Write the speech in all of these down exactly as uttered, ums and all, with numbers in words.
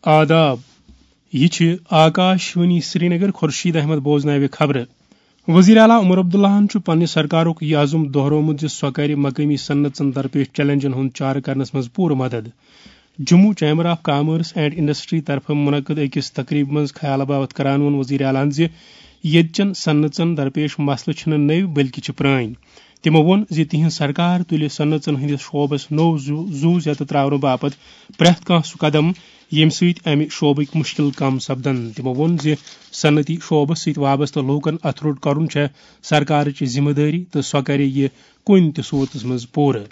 آداب۔ یہِ چھِ آکاش وانی سرینگر۔ خورشید احمد بوزناوِ خبرٕ۔ وزیر اعلیٰ عمر عبداللہَن چھُ پننہِ سرکارُک یہِ عزم دۄہرومُت زِ سۄ کرِ مقٲمی صنعژن درپیش چیلنجن ہُنٛد چارٕ کرنس منٛز پوٗرٕ مدد۔ Jammu chamber of commerce and industry طرفہٕ منعقد أکِس تقریبہِ منٛز خیال باوتھ کران ووٚن وزیر اعلیٰ ہَن زِ ییٚتہِ چٮ۪ن صنعژن درپیش مسلہٕ چھِنہٕ نٔوۍ بلکہِ چھِ پرٲنۍ۔ تِمو ووٚن زِ تِہنٛز سرکار تُلہِ صنعژن ہٕنٛدِس شعبس نوٚو زُو، زُو زیتہٕ ترٛاونہٕ باپتھ پرٛٮ۪تھ کانٛہہ سُہ قدم، ییٚمہِ سۭتۍ امہِ شعبٕکۍ مُشکِل کم سپدن۔ تِمو ووٚن زِ صنعتی شعبس سۭتۍ وابستہٕ لوٗکن اتھٕ روٚٹ کرُن چھےٚ سرکارٕچ ذمہٕ دٲری تہٕ سۄ کرِ یہِ کُنہِ تہِ صوٗرتس منٛز پوٗرٕ۔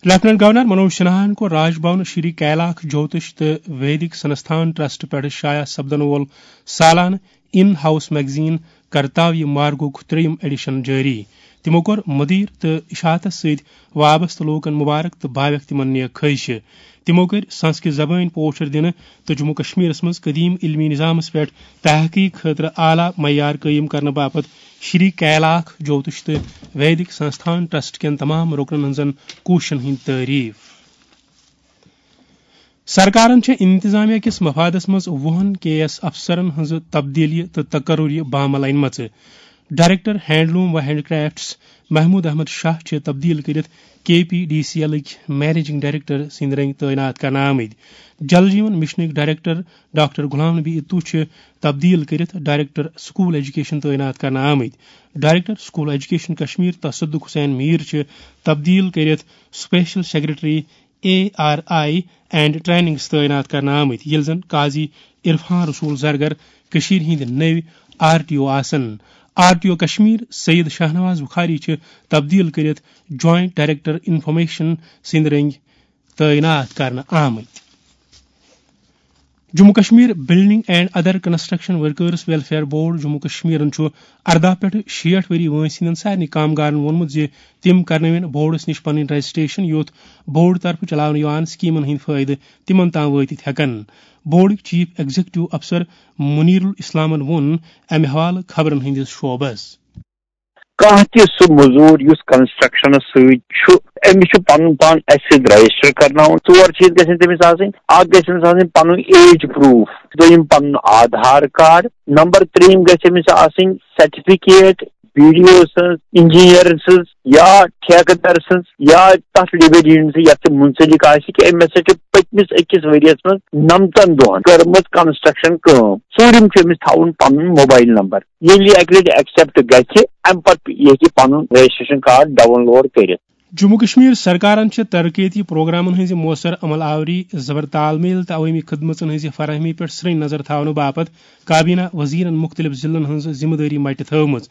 لیفٹیننٹ گورنر منوج سنہاہن کوٚر راج بھون شری کیلاکھ جوتش تہٕ ویدک سنستھان ٹرسٹ پٮ۪ٹھ شایع سپدن وول سالانہٕ ان ہاؤس میگزین کرتاویہ مارگُک ترٛیٚیِم ایڈیشن جٲری۔ تِمو کوٚر مدیر تہٕ اشاعتس سۭتۍ وابستہٕ لوٗکن مبارک تہٕ باویکھ تِمن نیک خٲہشہِ۔ تِمو کٔرۍ سنسکرت زبٲنۍ پوچھر دِنہٕ تہٕ جموں کشمیرس منٛز قدیم علمی نظامس پٮ۪ٹھ تحقیق خٲطرٕ اعلیٰ معیار قٲیِم کرنہٕ باپتھ شری کیلاکھ جوتش تہٕ ویدک سنستھان ٹرسٹ کٮ۪ن تمام رُکنن ہٕنٛزن کوٗششن ہٕنٛدۍ تعریف۔ سرکارن چھےٚ انتظامیہ کِس مفادس منٛز وُہن کے ایس افسرن ہٕنٛزٕ تبدیلی تہٕ تقرری بامل انمژٕ۔ ڈائریکٹر ہینڈلوم و ہینڈ کرافٹس محمود احمد شاہ چھِ تبدیل کٔرِتھ کے پی ڈی سی ایلٕکۍ مینیجنگ ڈائریکٹر سٕنٛدۍ رٔنگۍ تعینات کرنہٕ آمٕتۍ۔ جل جیون مشنٕکۍ ڈائریکٹر ڈاکٹر غلام نبی اتو چھِ تبدیل کٔرِتھ ڈائریکٹر سکول ایجوکیشن تعینات کرنہٕ آمٕتۍ۔ ڈائریکٹر سکول ایجوکیشن کشمیر تصدق حسین میر چھِ تبدیل کٔرِتھ special secretary A R I and trainings تعینات کرنہٕ آمٕتۍ، ییٚلہِ زن قاضی عرفان رسول زرگر کٔشیٖرِ ہٕنٛدۍ نٔوۍ آر ٹی او آسن۔ R T O Kashmir Syed Shahnawaz Bukhari چھِ تبدیل کٔرِتھ جوائنٹ ڈائریکٹر انفارمیشن سٕنٛدۍ رٔنگۍ تعینات کرنہٕ آمٕتۍ۔ Jammu Kashmir building and other construction workers welfare board Jammu کشمیرن چھُ ارداہ پٮ۪ٹھ شیٹھ ؤری وٲنٛسہِ ہٕنٛدٮ۪ن سارنٕے کامگارن ووٚنمُت زِ تِم کرنٲوِن بورڈس نِش پنٕنۍ رجسٹریشن، یُتھ بورڈ طرفہٕ چلاونہٕ یِوان سکیمن ہٕنٛدۍ فٲیدٕ تِمن تام وٲتِتھ ہٮ۪کن۔ بورڈٕکۍ چیف ایگزیکٹو افسر منیرل اسلامن ووٚن امہِ حوالہٕ خبرن ہٕنٛدِس شعبس۔ کانٛہہ تہِ سُہ مٔزوٗر یُس کنسٹرکشنس سۭتۍ چھُ، أمِس چھُ پنُن پان اَسہِ سۭتۍ رجسٹر کرناوُن۔ ژور چیٖز گژھن تٔمِس آسٕنۍ۔ اکھ گژھِ أمِس آسٕنۍ پنُن ایج پروٗف، دوٚیِم پنُن آدھار کارڈ، نمبر ترٛیٚیِم گژھِ أمِس آسٕنۍ سرٹیفکیٹ بی ڈی او سٕنٛز، انجینئر سٕنٛز یا ٹھیکہٕ در سٕنٛز یا تتھ ڈیپارٹمنٹ سٕنٛز یتھ سۭتۍ منسلک آسہِ کہِ أمۍ ہسا چھِ پٔتمِس أکِس ؤریس منٛز نمتن دۄہن کٔرمٕژ کنسٹرکشن کٲم۔ ژوٗرِم چھُ أمِس تھاوُن پنُن موبایل نمبر۔ ییٚلہِ یہِ اَکہِ لَٹہِ ایکسپٹ گژھِ، اَمہِ پتہٕ یہِ ہیٚکہِ پنُن رجسٹریشن کارڈ ڈاؤن لوڈ کٔرِتھ۔ جموں کشمیر سرکارن چھِ ترقیتی پروگرامن ہٕنٛزِ مؤثر عمل آوری، زبر تال میل تہٕ عوٲمی خدمژن ہٕنٛزِ فراہمی پٮ۪ٹھ سرٛنۍ نظر تھاونہٕ باپتھ کابینہ وزیرن مُختٔلِف ضلعن ہٕنٛز ذمہٕ دٲری مٹہِ تھٲومٕژ۔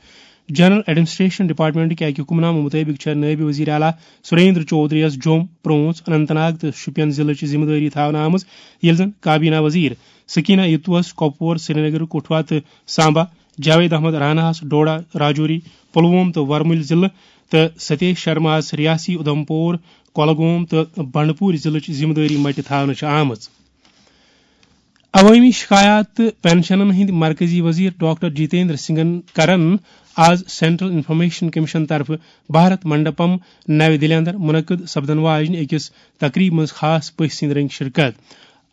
جنرل ایڈمنسٹریشن ڈپارٹمنٹٕکۍ اکہِ حکم نامہٕ مُطٲبِق چھےٚ نٲیِب وزیر اعلیٰ سریندر چودھری یَس جوٚم، پرٛونٛژھ، اننت ناگ تہٕ شوپین ضلعٕچ ذمہٕ دٲری تھاونہٕ آمٕژ، ییٚلہِ زن کابینہ وزیر سکینہ اتوس کۄپوور، سرینگر، کٹھوا تہٕ سامبا، جاوید احمد راناہس ڈوڈا، راجوری، پلووم تہٕ ورمُلۍ ضلعہٕ تہٕ ستیش شرماہس ریاسی اُدھمپور، کۄلگوم تہٕ بنڈپور ضلعٕچ ذمہٕ دٲری مٹہِ تھاونہٕ چھِ آمٕژ۔ عوٲمی شکایات تہٕ پنشنن ہٕنٛدۍ مرکزی وزیر ڈاکٹر جتیندر سنگھن کرن آز سینٹرل انفارمیشن کمیشن طرفہٕ بھارت منڈپم نَوِ دِلہِ اندر منعقد سپدن واجنہِ أکِس تقریبہِ منٛز خاص پٔژھۍ سٕنٛدۍ رٔنگۍ شرکت۔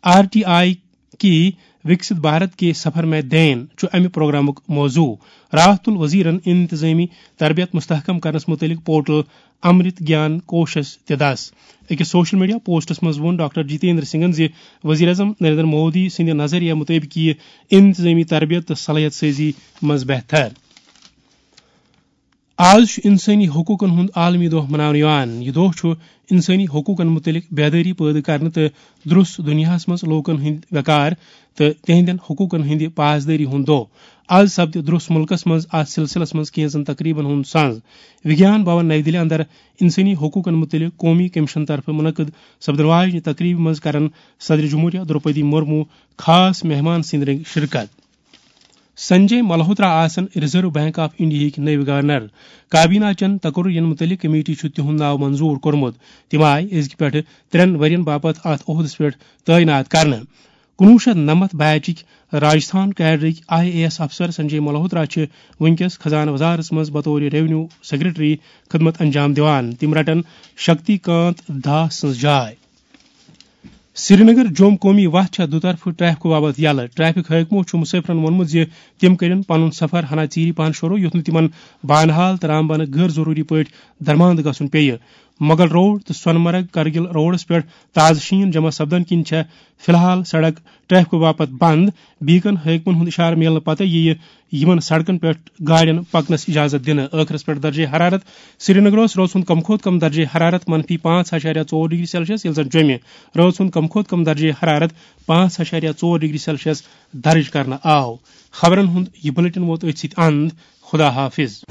آر ٹی آئی کی وکست بھارت کے سفر میں دین چھُ امہِ پروگرامُک موضوع۔ راحت الوزیرن انتظامی تربیت مستحکم کرنس متعلق پورٹل امرت گیان کوشس تہِ دس۔ أکِس سوشل میڈیا پوسٹس منٛز ووٚن ڈاکٹر جتیندر سنگھن زِ وزیر اعظم نریندر مودی سٕنٛدِ نظریہ مطٲبق یِیہِ انتظامی تربیت تہٕ صلاحیت سازی منٛز بہتر۔ آز چھُ انسٲنی حقوٗقن ہُنٛد عالمی دۄہ مناونہٕ یِوان۔ یہِ دۄہ چھُ انسٲنی حقوٗقن مُتعلق بیدٲری پٲدٕ کرنہٕ تہٕ درُس دُنیاہَس منٛز لوٗکَن ہٕنٛدۍ وقار تہٕ تِہنٛدٮ۪ن حقوٗقن ہٕنٛدِ پاسدٲری ہُنٛد دۄہ۔ آز سپدِ درُس مُلکَس منٛز اَتھ سلسلس منٛز کینٛژن تقریبن ہُنٛد ساز۔ وگیان بھون نئی دِلہِ اندر انسٲنی حقوٗقن مُتعلق قومی کمیشن طرفہٕ منعقد سپدن واجنہِ تقریبہِ منٛز کرن صدر جمہوریہ درٛوپدی مرمو خاص مہمان سٕنٛدۍ رٔنگۍ شرکت۔ سنجے ملہوترا آسن ریزرو بینک آف انڈیاہٕکۍ نٔوۍ گورنر۔ کابینہ چٮ۪ن تقررین مُتعلق کمیٹی چھُ تِہُنٛد ناو منظور کوٚرمُت۔ تِم آیہِ أزکہِ پٮ۪ٹھٕ ترٛٮ۪ن ؤرین باپتھ اَتھ عہدس پٮ۪ٹھ تعینات کرنہٕ۔ کُنوُہ شیٚتھ نَمَتھ بیچٕکۍ راجستھان کیڈرٕکۍ آئی اے ایس افسر سنجے ملہوترا چھِ وٕنکیٚس خزانہٕ وزارتس منٛز بطور ریونیو سیکرٹری خدمت انجام دِوان۔ تِم رٹن شکتی کانت داس سٕنٛز جاے۔ سرینگر جوم قومی وتھ چھےٚ دُطرفہٕ ٹریفکہٕ باپتھ یلہٕ۔ ٹریفک حٲکمو چھُ مسافرن ووٚنمُت زِ تِم کٔرِن پنُن سفر ہنا ژیٖرِ پہن شروع، یُتھ نہٕ تِمن بانہال تہٕ رامبنہٕ غٲر ضروٗری پٲٹھۍ درماندٕ گژھُن پیٚیہِ۔ مغل روڈ تہٕ سۄنہٕ مرگ کرگل روڈس پٮ۪ٹھ تازٕ شیٖن جمع سپدن کِنۍ چھےٚ فی الحال سڑک ٹریفکہٕ باپتھ بند۔ بیکن حٲکمن ہُنٛد اشارٕ میلنہٕ پتہٕ یِیہِ یِمن سڑکن پٮ۪ٹھ گاڑٮ۪ن پکنس اجازت دِنہٕ۔ ٲخرس پٮ۪ٹھ درجے حرارت۔ سرینگرس رٲژ ہُنٛد کم کھۄتہٕ کم درجے حرارت منفی پانٛژھ اَشاریہ ژور ڈگری سیلسیس، ییٚلہِ زن جوٚمہِ رٲژ ہُنٛد کم کھۄتہٕ کم درجے حرارت پانٛژھ اَشاریہ ژور ڈگری سیلسیس درج کرنہٕ آو۔ خبرن ہُنٛد یہِ بلیٹن ووت أتھۍ سۭتۍ اند۔ خدا حافظ۔